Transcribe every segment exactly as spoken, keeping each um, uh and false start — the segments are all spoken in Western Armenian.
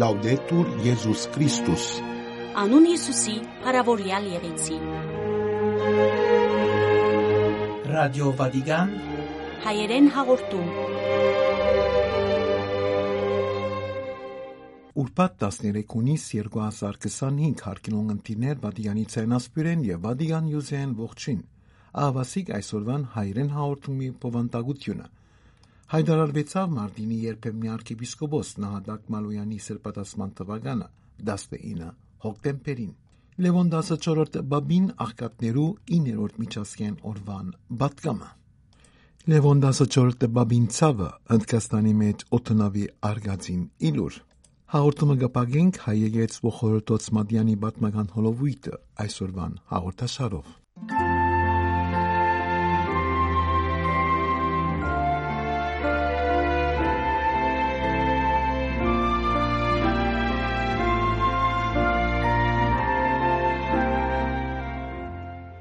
Լաուդետուր Եզուս Քրիստոս։ Անուն Յիսուսի փառաւորեալ եղեցի։ Ռադիո Վատիկան, հայերեն հաղորդում։ Ուրբաթ տասներեք հունիս երկու հազար քսանհինգ, հարգելի ունկնդիրներ, Վատիկանի ցայնասփիւռէն եւ Վատիկան News-էն ողջոյն։ Ահաւասիկ այսօրուան հայերեն հաղորդումի բովանդակութիւնը։ Հայտարարուեցաւ Մարտինի երբեմնի արքեպիսկոպոս Նահատակ Մալոյանի սրբադասման թուականը՝ տասնինը հոկտեմբերին։ Լեւոն տասնչորրորդ պապին աղքատներու իններորդ միջազգային օրուան պատգամը։ Լեւոն տասնչորրորդ պապին ցաւը Հնդկաստանի մէջ օդանաւի արկածին ի լուր։ Հաղորդումը կը փակենք հայ եկեղեցու խորհրդոց Մատեանի պատմական հոլովոյթը այսօրուան հաղորդաշարով։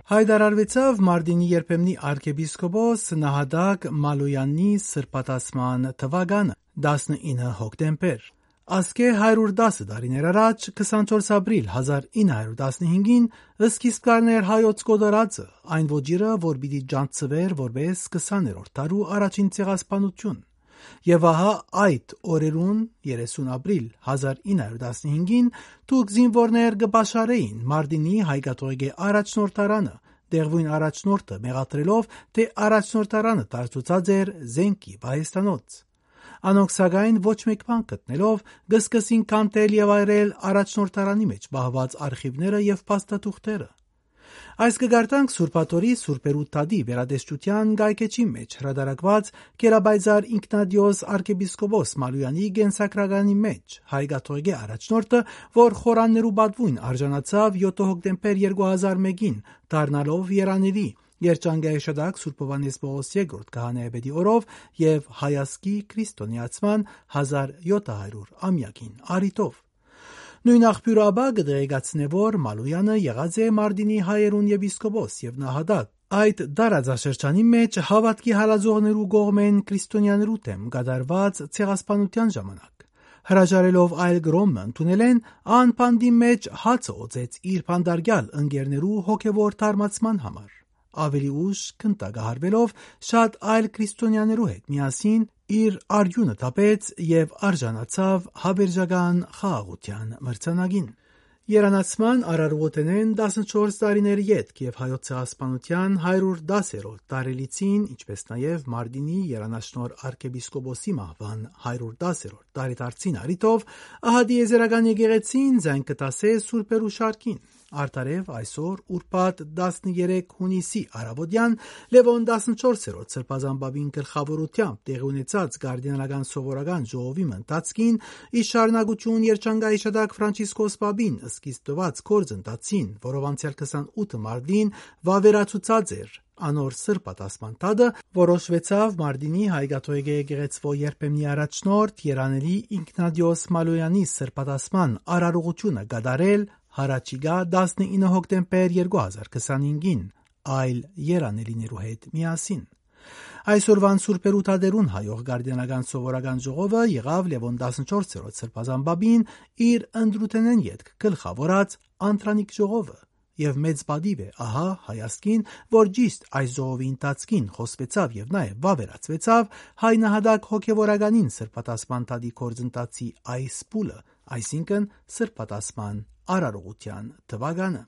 Հայտարարուեցաւ Մարտինի երբեմնի արքեպիսկոպոս Նահատակ Մալոյանի սրբադասման թուականը՝ տասնինը հոկտեմբեր։ Ասկէ հարիւր տասը տարիներ առաջ, քսանչորս ապրիլ հազար ինը հարիւր տասնհինգին, սկիզբ կ'առնէր հայոց կոտորածը, այն ոճիրը, որ պիտի ճանչցուէր որպէս քսաներորդ դարու առաջին ցեղասպանութիւն։ Եւ ահա այդ օրերուն, երեսուն ապրիլ հազար ինը հարիւր տասնհինգին, թուրք զինուորներ կը պաշարէին Մարտինի հայ կաթողիկէ առաջնորդարանը, տեղւոյն առաջնորդը մեղադրելով, թէ առաջնորդարանը տարածուցած էր զէնքի պահեստանոց։ Անոնք, սակայն, ոչ մէկ բան գտնելով, կը սկսին քանդել եւ այրել առաջնորդարանի մէջ պահուած արխիւները եւ փաստաթուղթերը։ Այս կը կարդանք Սուրբ Աթոռի սուրբերու թատի վերատեսչութեան կայքէջի մէջ հրատարակուած Գերապայծառ Ինքնատիոս արքեպիսկոպոս Մալոյանի կենսագրականի մէջ, հայ կաթողիկէ առաջնորդը, որ խորաններու պատուոյն արժանացաւ յոթ հոկտեմբեր երկու հազար մէկին, դառնալով երանելի, Երջանկայ Աշատակ Սուրբ Յովհաննէս Պողոս երկրորդ քահանայապետի օրով եւ հայազգի քրիստոնեացման հազար յոթ հարիւր ամեակին առիթով։ Նոյն աղբիւրը ապա կը տեղեկացնէ, որ Մալոյանը եղած է Մարտինի հայերուն եպիսկոպոս եւ նահատակ, այդ տարածաշրջանի մէջ հաւատքի հալածողներու կողմէն քրիստոնեաներու դէմ կատարուած ցեղասպանութեան ժամանակ։ Հրաժարելով այլ կրօն մը ընդունելէն, ան բանտի մէջ հացը օծեց իր բանտարկեալ ընկերներու հոգեւոր թարմացման համար։ Աւելի ուշ գնդակահարուելով, շատ այլ քրիստոնեաներու հետ միասին իր արիւնը թափեց եւ արժանացաւ Հաւերժական խաղաղութեան մրցանակին։ Երանացման արարողութենէն տասնչորս տարիներ ետք եւ հայոց ցեղասպանութեան հարիւր տասերորդ տարելիցին, ինչպէս նաեւ Մարտինի երանաշնորհ արքեպիսկոպոսի մահուան հարիւր տասերորդ տարեդարձին առիթով, ահա տիեզերական եկեղեցին զայն կը դասէ սուրբերու շարքին։ Արդարեւ այսօր, ուրբաթ տասներեք հունիսի առաւօտեան, Լեւոն տասնչորսերորդ սրբազան պապին գլխաւորութեամբ տեղի ունեցած կարդինալական սովորական ժողովի մը ընթացքին, ի շարունակութիւն Երջանկայ Աշատակ Ֆրանցիսկոս պապին սկիզբ տուած գործընթացին, որով անցեալ քսանութ մարտին վաւերացուցած էր անոր սրբատասման թատը, որոշուեցաւ Մարտինի հայ կաթողիկէ եկեղեցւոյ երբեմնի առաջնորդ, երանելի Ինքնատիոս Մալոյանի սրբատասման արարողութիւնը կատարել յառաջիկայ տասնինը հոկտեմբեր երկու հազար քսանհինգին, այլ երանելիներու հետ միասին։ Այսօրուան սուրբերու թատերուն հայող կարդինալական սովորական ժողովը եղաւ Լեւոն տասնչորսերորդ սրբազան պապին իր ընտրութենէն ետք գլխաւորած անդրանիկ ժողովը, եւ մեծ պատիւ է ահա հայազգին, որ ճիշտ այս ժողովի ընթացքին խոսուեցաւ եւ նաեւ վաւերացուեցաւ հայ նահատակ հոգեվորականին սրբատասման թատի գործընթացի այս փուլը, այսինքն՝ սրբատասման արարողութեան թուականը։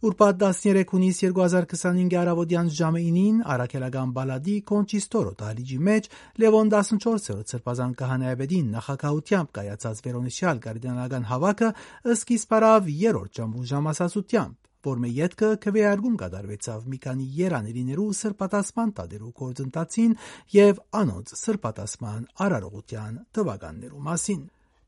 Ուրբաթ տասներեք հունիս երկու հազար քսանհինգի առաւօտեան ժամը ինին առաքելական պալատի Կոնչիստորո դահլիճի մէջ Լեւոն տասնչորսերորդ սրբազան քահանայապետին նախագահութեամբ կայացած վերոնշյալ կարդինալական հաւաքը սկիզբ առաւ երրորդ ժամուն ժամասացութեամբ, որ մէ ետքը քուէարկում կատարուեցաւ մի քանի երանելիներու սրբատասման թատերու գործընթացին եւ անոնց սրբատասման արարողութեան թուականներու մասին։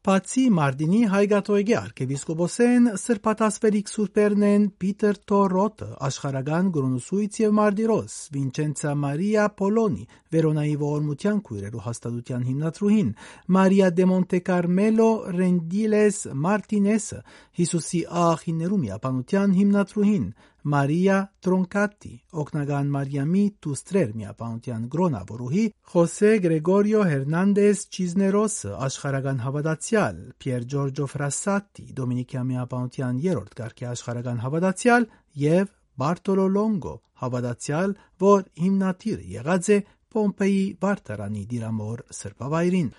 Բացի Մարտինի հայ կաթողիկէ արքեպիսկոպոսէն, սրբատասվելիք սուրբերն են Պիտեր Թորոթը, աշխարհական կրոնուսոյց եւ մարտիրոս, Վինչենցա Մարիա Պոլոնի, Վերոնայի ողորմութեան քոյրերու հաստատութեան հիմնադրուհին, Մարիա դե Մոնտե Կարմելո Ռենդիլես Մարտինեսը, Յիսուսի աղախիններու միաբանութեան հիմնադրուհին, Մարիա Տրոնկատի, օգնական Մարիամի դուստրեր միաբանութեան կրոնաւորուհի, Խոսե Գրեգորիո Հերնանդես Չիզներոսը, աշխարհական հաւատացեալ, Պիեր Ջորջո Ֆրասատի, Դոմինիկեան միաբանութեան երրորդ կարգի աշխարհական հաւատացեալ, եւ Բարտոլո Լոնգո, հաւատացեալ, որ հիմնադիր եղած է Պոմպէի վարդարանի դիրամոր սրբավայրին։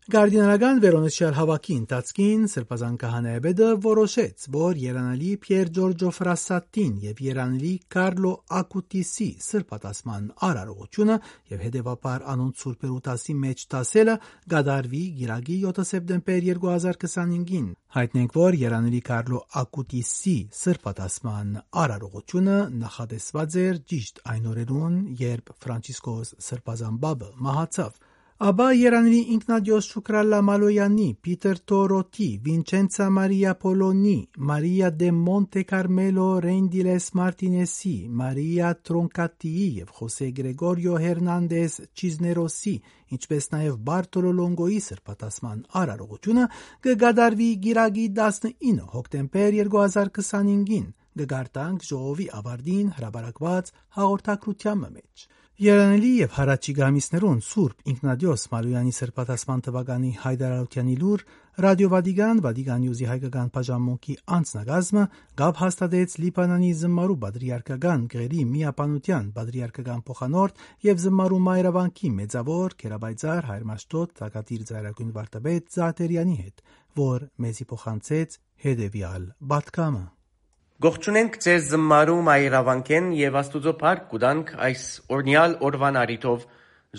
Կարդինալական վերոնշյալ հաւաքի ընթացքին Սրբազան քահանայապետը որոշեց, որ երանելի Պիեր Ջորջո Ֆրասատին եւ երանելի Կարլո Ակուտիսի սրբատասման արարողությունը եւ հետեւաբար անոնց սուրբերու դասի մէջ դասելը կատարուի կիրակի յոթը սեպտեմբեր երկու հազար քսանհինգին։ Յայտնենք, որ երանելի Կարլո Ակուտիսի սրբատասման արարողությունը նախատեսուած էր ճիշտ այն օրերուն, երբ Ֆրանցիսկոս Սրբազան Պապը մահացաւ։ Ապա երանելի Ինքնատիոս Շուքրալլա Մալոյանի, Պիտեր Թորոթի, Վինչենցա Մարիա Պոլոնի, Մարիա դե Մոնտե Կարմելո Ռենդիլես Մարտինեսի, Մարիա Տրոնկատիի եւ Խոսե Գրեգորիո Հերնանդես Չիզներոսի, ինչպէս նաեւ Բարտոլո Լոնգոյի սրբատասման արարողությունը կը կատարուի կիրակի տասնինը հոկտեմբեր երկու հազար քսանհինգին, կը կարդանք ժողովի աւարտին հրապարակուած հաղորդագրութեան մը մէջ։ Երանելի եւ հառաչի գամիսներուն Սուրբ Ինքնատիոս Մալոյանի սրբատասման թվականի հայտարարութեանի լուր Ռադիո Վատիկան, Վատիկան Նիուզի հայկական բաժանմունքի անձնակազմը կապ հաստատեց Լիբանանի զմարու պատրիարքական գղերի միաբանութեան պատրիարքական փոխանորդ եւ զմարու մայրավանքի մեծաւոր գերապայծառ հայր Մաշտոտ Թագատիր Ծայրագույն Վարդապետ Զահտերյանի հետ, որ մեզի փոխանցեց հետեւեալ պատգամը։ Կողջունենք ձեզ զմարու մայրավանքէն եւ Աստուծոյ փառք կու տանք այս օրնեալ օրուան առիթով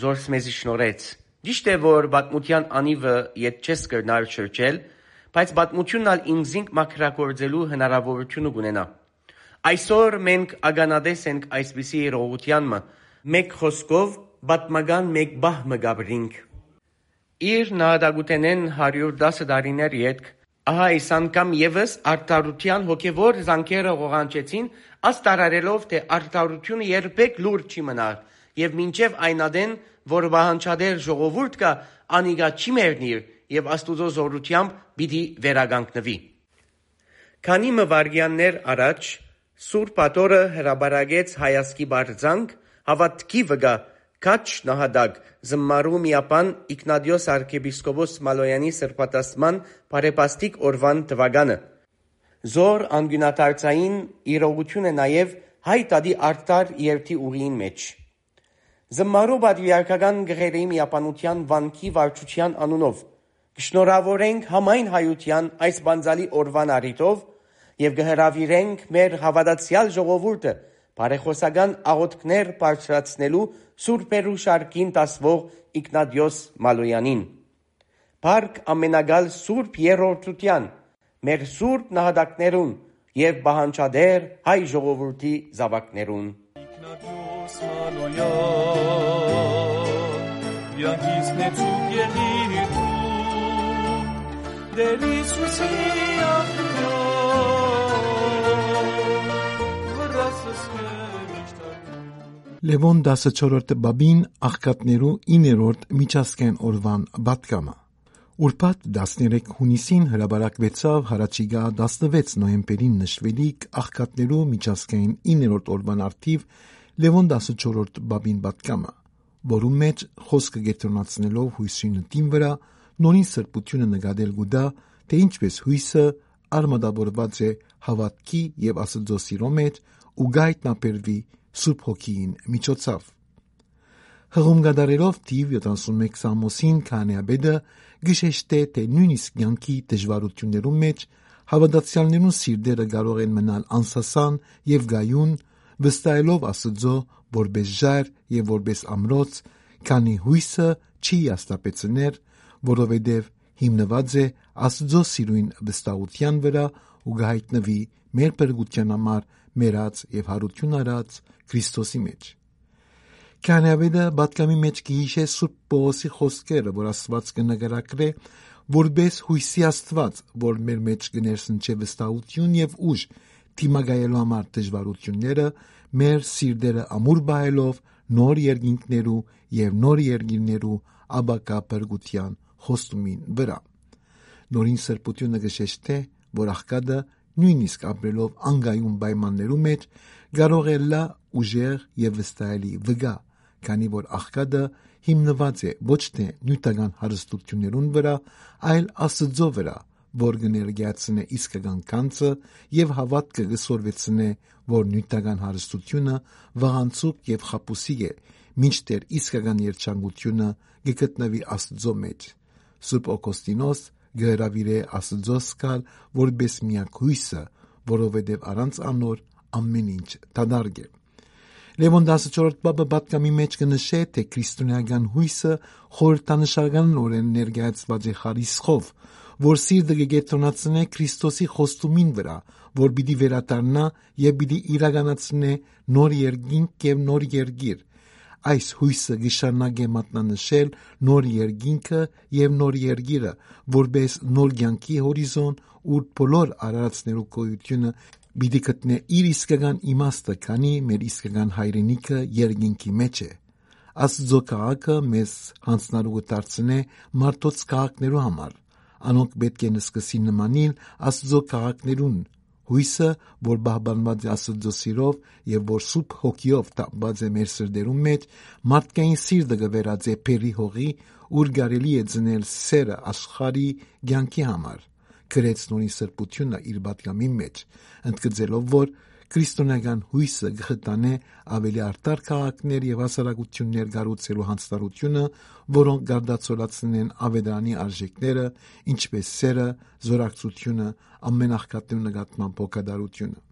զորս մեզի շնորհեց։ Ճիշդ է, որ պատմութեան անիվը ետ չես կրնար շրջել, բայց պատմութիւնն ալ ինքզինք մաքրագործելու հնարաւորութիւնը կունենայ։ Այսօր մենք ականատես ենք այսպիսի իրողութեան մը, մէկ խօսքով, պատմական մէկ պահ մը կ'ապրինք։ Իր նահատակութենէն հարիւր տասը տարիներ ետք, ահա այս անգամ եւս արդարութեան հոգեւոր զանգերը ղողանջեցին, աստ արարելով, թէ արդարութիւնը երբեք լուռ չի մնար, եւ մինչեւ այն ատեն, որ պահանջատեր ժողովուրդ կայ, անիկա չի մեռնիր եւ Աստուծոյ զօրութեամբ պիտի վերականգնուի։ Քանի մը վայրկեաններ առաջ Սուրբ Աթոռը հրապարակեց հայազգի պարզանք, հաւատքի վկայ քաջ նահատակ, զմարու միաբան Իգնատիոս արքեպիսկոպոս Մալոյանի սրբատասման բարեբաստիկ օրուան թուականը։ Զոր անկիւնադարձային իրողութիւն է նաեւ հայ դատի արդար երթի ուղիին մէջ։ Զմարու պատրիարքական գղերի միաբանութեան վանքի վարչութեան անունով կը շնորհաւորենք համայն հայութեան այս պանծալի օրուան առիթով եւ կը հրաւիրենք մեր հաւատացեալ ժողովուրդը բարեխօսական աղօթքներ բարձրացնելու սուրբերու շարքին դասուող Իգնատիոս Մալոյանին։ Փառք ամենակալ Սուրբ Երրորդութեան, մեր սուրբ նահատակներուն եւ պահանջատեր հայ ժողովուրդի զաւակներուն։ Իգնատիոս Մալոյան, կեանքիս նեցուկ եղիր դու, Տեր Յիսուսի աղբիան, վրաս սքե միշտ ակնի։ Լեւոն տասը չորրորդ պապին աղքատներու իններորդ միջազգային օրուան պատգամը։ Ուրբաթ տասներեք յունիսին հրապարակուեցաւ յառաջիկայ տասնվեց նոյեմբերին նշուելիք աղքատներու միջազգային իններորդ օրուան առթիւ Լեւոն տասը չորրորդ պապին պատգամը, որուն մէջ խօսքը կեդրոնացնելով յոյսի նիւթին վրայ, նորին սրբութիւնը նկատել կու տայ, թէ ինչպէս յոյսը արմատավորուած է հաւատքի եւ Աստուծոյ սիրոյ մէջ ու կը յայտնաբերուի Սուրբ Հոգիին միջոցաւ։ Հղում կատարելով թիվ յոթանասունմէկ սաղմոսին քահանայապետը կը շեշտէ, թէ նոյնիսկ կեանքի դժուարութիւններուն մէջ հաւատացեալներուն սիրտերը կարող են մնալ անսասան եւ կայուն, վստահելով Աստուծոյ որպէս ժայռ եւ որպէս ամրոց, քանի յոյսը չի հիասթափեցներ, որովհետեւ հիմնուած է Աստուծոյ սիրոյն վստահութեան վրայ ու կը յայտնուի մեր փրկութեան համար մեռած եւ յարութիւն առած Քրիստոսի մէջ։ Քահանայապետը պատգամի մէջ կը յիշէ Սուրբ Պողոսի խօսքերը, որ Աստուած կը նկարագրէ որպէս յոյսի Աստուած, որ մեր մէջ կը ներշնչէ վստահութիւն եւ ուժ դիմակայելու համար դժուարութիւնները, մեր սիրտերը ամուր պահելով նոր երկինքներու եւ նոր երկիրներու ապակա փրկութեան խոստումին վրայ։ Նորին սրբութիւնը կը շեշտէ, որ աղքատը, նոյնիսկ ապրելով անկայուն պայմաններու մէջ, կարող է ըլլայ ուժեղ եւ վստահելի վկայ, քանի որ աղքատը հիմնուած է ոչ թէ նիւթական հարստութիւններուն վրայ, այլ Աստուծոյ վրայ, որ կը ներկայացնէ իսկական գանձը եւ հաւատքը կը սորվեցնէ, որ նիւթական հարստութիւնը վաղանցուկ եւ խաբուսիկ է, մինչդեռ իսկական երջանկութիւնը կը գտնուի Աստուծոյ մէջ։ Սուրբ Օգոստինոս կը հրաւիրէ Աստուծոյ զգալ որպէս միակ յոյսը, որովհետեւ առանց անոր ամէն ինչ դատարկ է։ Լեւոն տասնչորսերորդ պապը պատգամի մէջ կը նշէ, թէ քրիստոնէական յոյսը խորհրդանշականօրէն ներկայացուած է խարիսխով, որ սիրտը կը կեդրոնացնէ Քրիստոսի խոստումին վրայ, որ պիտի վերադառնայ եւ պիտի իրականացնէ նոր երկինք եւ նոր երկիր։ Այս յոյսը կը շարունակէ մատնանշել նոր երկինքը եւ նոր երկիրը, որպէս նոր կեանքի հորիզոն, ուր բոլոր արարածներու գոյութիւնը պիտի գտնէ իր իսկական իմաստը, քանի մեր իսկական հայրենիքը երկինքի մէջ է։ Աստուծոյ քաղաքը մեզ յանձնառու կը դարձնէ մարդոց քաղաքներու համար։ Անոնք պէտք է նսկսին նմանիլ Աստուծոյ քաղաքներուն։ Յոյսը, որ պահպանուած է Աստուծոյ սիրով եւ որ Սուրբ Հոգիով թափուած է մեր սրտերուն մէջ, մարդկային սիրտը կը վերածէ բերրի հողի, ուր կարելի է ծնել սերը աշխարհի կեանքի համար, գրեց նորին սրբութիւնը իր պատգամին մէջ, ընդգծելով, որ քրիստոնեական յոյսը կը խթանէ աւելի արդար քաղաքներ եւ հասարակութիւններ կառուցելու յանձնառութիւնը, որոնք կարտացոլացնեն աւետարանի արժեքները, ինչպէս սերը, զօրակցութիւնը, ամէն աղքատներու նկատմամբ հոգատարութիւնը։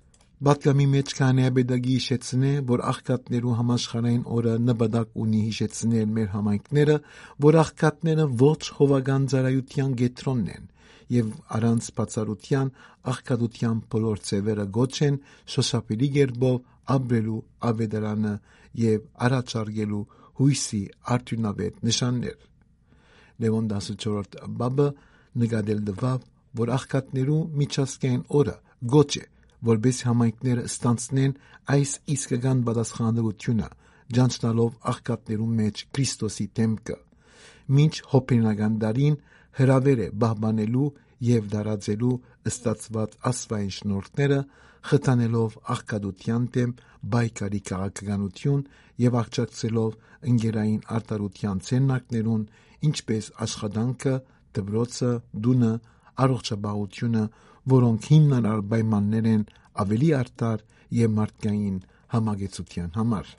Պատգամի մէջ քահանայապետը կը յիշեցնէ, որ աղքատներու համաշխարհային օրը նպատակ ունի յիշեցնել մեր համայնքները, որ աղքատները ոչ հովական ծառայութեան կեդրոնն են եւ առանց բացառութեան աղքատութեան բոլոր ձեւերը կոչ են շոշափելի կերպով ապրելու աւետարանը եւ առաջարկելու յոյսի արդիւնաւէտ նշաններ։ Լեւոն տասնչորսերորդ պապը նկատել տուաւ, որ աղքատներու միջազգային օրը կոչ է, որպէս համայնքները ստանձնեն այս իսկական պատասխանատուությունը, ճանչնալով աղքատներու մէջ Քրիստոսի դէմքը։ Մինչ հոբելենական դարին հրաւեր է պահպանելու եւ տարածելու ստացուած աստուային շնորհքները, խթանելով աղքատութեան դէմ պայքարի քաղաքականութիւն եւ աջակցելով ընկերային արդարութեան ձեռնարկներուն, ինչպէս աշխատանքը, դպրոցը, տունը, առողջապահությունը, որոնք հիմնարար պայմաններ են աւելի արդար եւ մարդկային համակեցութեան համար։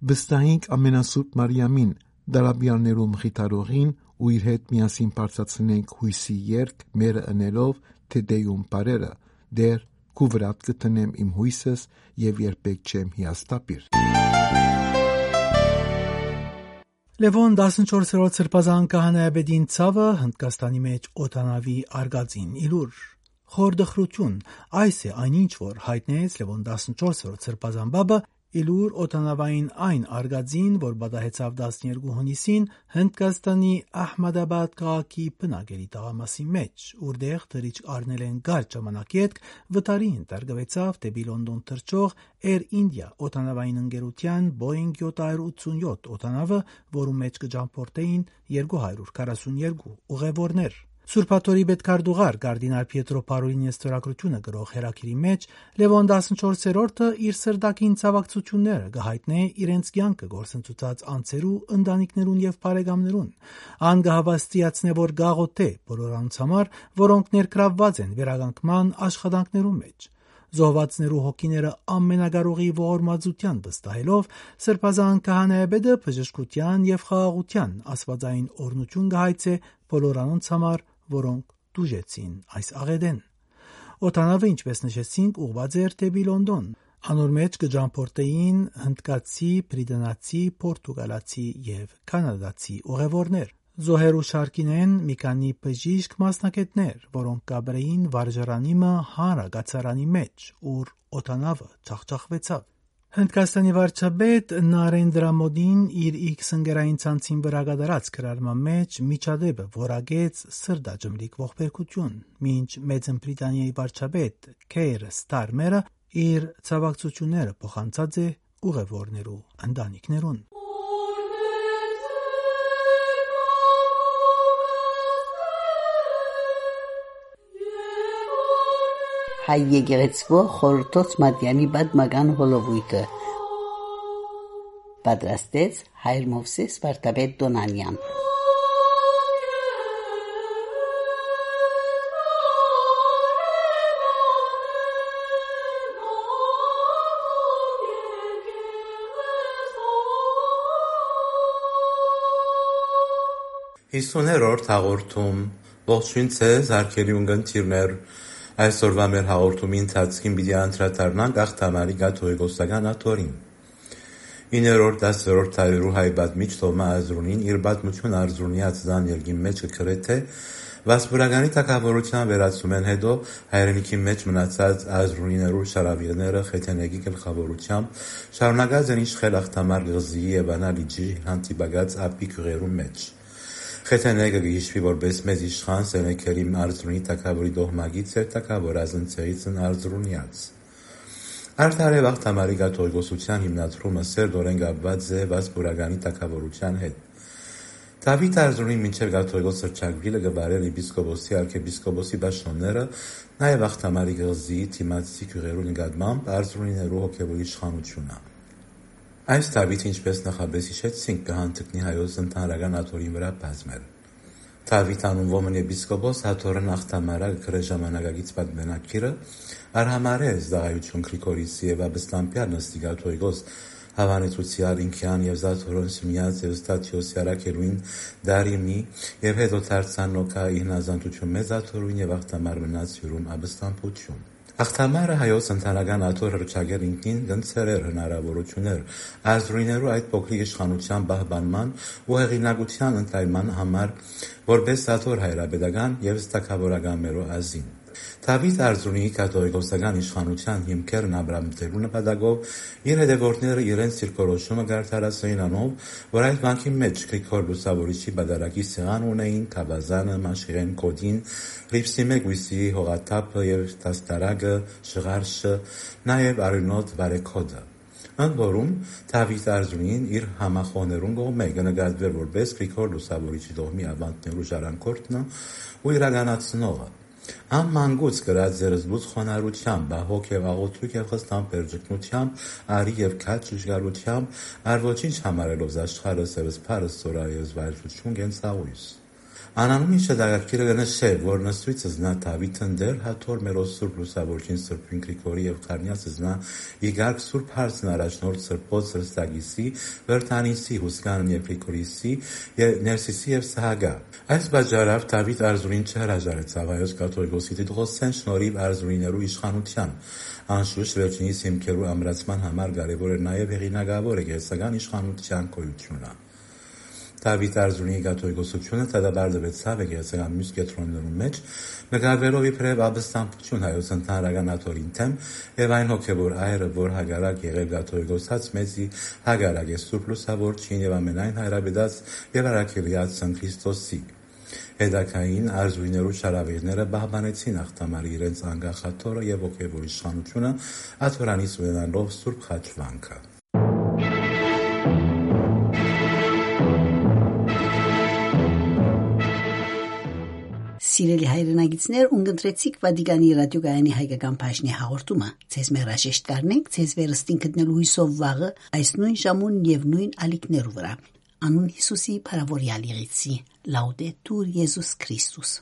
Վստահենք Ամենասուրբ Մարիամին, դարաբյալներու մխիթարողին, ու իր հետ միասին բարձրացնենք յոյսի երգ, մերը ընելով Թեդեում պարերը. «Տէր, քու վրադ կը դնեմ իմ յոյսս եւ երբեք չեմ հիասթափիր»։ Լեւոն տասնչորսերորդ սրբազան քահանայապետին ցաւը Հնդկաստանի մէջ օդանաւի արգածին ելուր։ Խոր տխրութիւն, այս է այն ինչ որ յայտնեց Լեւոն տասնչորսերորդ սրբազան պապը, ելուր օդանաւային այն արգածին, որ պատահեցաւ տասներկու հունիսին Հնդկաստանի Ահմադաբադ քաղաքի բնակելի թաղամասի մէջ, ուրտեղ թռիչք առնելէն կարճ ժամանակ ետք վթարի ենթարկուեցաւ դէպի Լոնդոն թռչող Air India օդանաւային ընկերութեան Boeing յոթ հարիւր ութսունյոթ օդանաւը, որու մէջ կը ճամբորդէին երկու հարիւր քառասուններկու ուղեւորներ։ Սուրբ Աթոռի պետքարտուղար կարդինալ Պիետրո Փարոլինի ստորագրութիւնը գրող հերագիրի մէջ Լեւոն տասնչորսերորդը իր սրտագին ցաւակցութիւնները կը յայտնէ իրենց կեանքը գործընծուցած անձերու, ընտանիքներուն եւ բարեկամներուն։ Ան կը հաւաստիացնէ, որ կ'աղօթէ բոլոր անոնց համար, որոնք ներգրաւուած են վերականգնման աշխատանքներուն մէջ։ Զոհուածներու հոգիները Ամենակարողի ողորմածութեան վստահելով, սրբազան քահանայապետը բժշկութեան եւ խաղաղութեան աստուածային օրհնութիւն կը հայցէ բոլոր անոնց համար, որոնք տուժեցին այս աղէտէն։ Օդանաւը, ինչպէս նշեցինք, ուղղուած էր դէպի Լոնդոն։ Անոր մէջ կը ճամբորդէին հնդկացի, բրիտանացի, պորտուգալացի եւ կանադացի ուղեւորներ։ Զոհերու շարքին են մի քանի բժիշկ մասնագէտներ, որոնք կ'ապրէին վարժարանի մը հանրակացարանի մէջ, ուր օդանաւը ջախջախուեցաւ։ Հնդկաստանի վարչապետ Նարենդրա Մոդին իր X ընկերային ցանցին վրայ կատարած գրառման մէջ միջադէպը որակեց սրտաճմլիկ ողբերգութիւն, մինչ Մեծն Բրիտանիայի վարչապետ Քեյր Ստարմերը իր ցաւակցութիւնները փոխանցած է ուղեւորներու ընտանիքներուն։ Հայ եկեղեցւոյ խորհրդոց մատեանի պատմական հոլովոյթը պատրաստեց հայր Մովսէս Վարդապետ Տոնանեան։ Յիսուներորդ հաղորդում։ Ողջոյն ձեզ, հարգելի ունգընտիրներ։ Այսօրուայ մեր հաղորդումի ընթացքին պիտի անդրադառնանք Աղթամարի կաթողիկոսական աթոռին։ Իններորդ, տասներորդ դարերու հայ պատմիչ Թովմա Արզրունին իր պատմութիւնը Արզրունեաց Դանիելին մէջ կը գրէ, թէ Վասպուրականի թագաւորութեան վերացումէն յետոյ հայրենիքի մէջ մնացած Արզրունիներու շարաւիղները Խեթենեգի գլխաւորութեամբ շարունակած են իշխել Աղթամար կղզիի եւ Անա լիճի հանդիպակաց ափի գիւղերու մէջ։ Խեթենեգը կը յիշուի որպէս մեծ իշխան Սենեքերիմ Արզրունի թագաւորի դոհմագից էր թագաւոր Ազնցեիցն Արզրունեաց։ Արդարեւ Աղթամարի կաթողիկոսութեան հիմնադրումը սերտօրէն կապուած է Վասպուրականի թագաւորութեան հետ։ Դաւիթ Արզրունին մինչեւ կաթողիկոս հռչակուիլը կը վարէր եպիսկոպոսի, արքեպիսկոպոսի պաշտօնները, նաեւ Աղթամարի կղզիի դիմացի գիւղերու նկատմամբ Արզրունիներու հոգեւոր իշխանութիւնը։ Այս Դաւիթ, ինչպէս նախապէս յիշեցինք, կը հանդգնի հայոց ընդհանրական աթոռին վրայ բազմեր։ Դաւիթ անունուոմն եպիսկոպոս աթոռն Աղթամարա կը գրէ ժամանակակից պատմանակիրը, արհամարհ է զգայութիւն Գրիգորիսի եւ Աբստամբեան նստի կաթողիկոս Հաւանեցուցեալ ինքեան եւ զաթորոն Սիմիած եւ Ստատիոսի առաքելուին Դարիմի եւ յետոյ դարձան Նոքա իհնազանդութիւն մեծ աթորուն եւ Աղթամար մնաց հիւրում Աբստամբութիւն։ Աղթամարը հայոց ընդհանրական աթոռ հռչակել ինքնին կընձեռ էր հնարաւորութիւններ Արզրունիներու այդ փոքրիկ իշխանութեան պահպանման ու հեղինակութեան ընդլայնման համար, որպէս աթոռ հայրապետական եւ թագաւորական մերոյ ազին։ Դաւիթ Արզրունիի կաթողիկոսական իշխանութեան հիմքերն ամրապնդելու նպատակով իր հետեւորդները իրենց դիրքորոշումը կ'արդարացնէին անով, որ այդ վանքին մէջ Գրիգոր Լուսաւորիչի պատարագի սեղան ունէին Թաւազանը, Մաշիղեն Կոտին, Ռիփսիմէ կոյսի հողաթափը եւ դաստարակը, Շղարշը, նաեւ արիւնոտ Վարեքոտը։ Ընդ որում, Դաւիթ Արզունին իր համախոհներուն կողմէ կը նկատուէր որպէս Գրիգոր Լուսաւորիչի տոհմի աւանդներու ժառանգորդը ու իրականացնողը։ Ան մանկուց կրած էր զբուց խոնարհութեամբ, հոգ եւ աղոթք եւ խստամբեր ճգնութեամբ, արի եւ քաջ շուշկալութեամբ, առ ոչինչ համարելով զաշխարհս եւ սփարս, ծորայ եւ զվարճութիւն կենցաղոյս։ Անանուն իշտակակիրը կը նշէ, որ նստոյց զնա Դաւիթ ընտեր հաթոր մերոյ սուրբ լուսաւորչին սրբին Գրիգորի եւ խառնեաց զնա ի կարգ սուրբ հարցն առաջնորդ սրբոց Հրստակիսի, Վրդանիսի, Հուսկանն եւ Գրիգորիսի, եւ Ներսիսի եւ Սահակայ։ Այս պատճառով Դաւիթ Արզունին չհրաժարեցաւ հայոց կաթողիկոսի դիտողոսեն շնորհիվ Արզունիներու իշխանութեան։ Անշուշտ վերջինիս հիմքերու ամրացման համար կարեւոր էր նաեւ հեղինակաւոր եկեղեցական իշխանութեան գոյութիւնը։ Դաւիթ Արզունի կաթողիկոսութիւնը դատապարտուեցաւ եկեղեցական միւս կեդրոններուն մէջ, նկատուելով իբրեւ աբստամբութիւն հայոց ընդհանրական աթոռին դէմ եւ այն հոգեւոր այրը, որ հակառակ եղեր կաթողիկոսաց մեծի, հակառակ է սուրբ լուսաւորչին եւ ամենայն հայրապետաց եւ առաքելեաց Սան Քրիստոսի։ Հետագային Արզունիներու շարաւիղները պահպանեցին Աղթամարի իրենց անկախ աթոռը եւ հոգեւոր իշխանութիւնը, աթոռանից ունենալով սուրբ խաչվանքը։ Սիրելի հայրենակիցներ, ունկնդրեցիք Վատիկանի ռադիոկայանի հայկական բաժնի հաղորդումը։ Ձեզ մեր հրաժեշտ կ'առնենք, ձեզ վերստին գտնելու հոյսով վաղը այս նոյն ժամուն եւ նոյն ալիքներու վրայ։ Անուն Յիսուսի փառաւորեալ եղեցի։ Լաուդետուր Յիսուս Քրիստոս։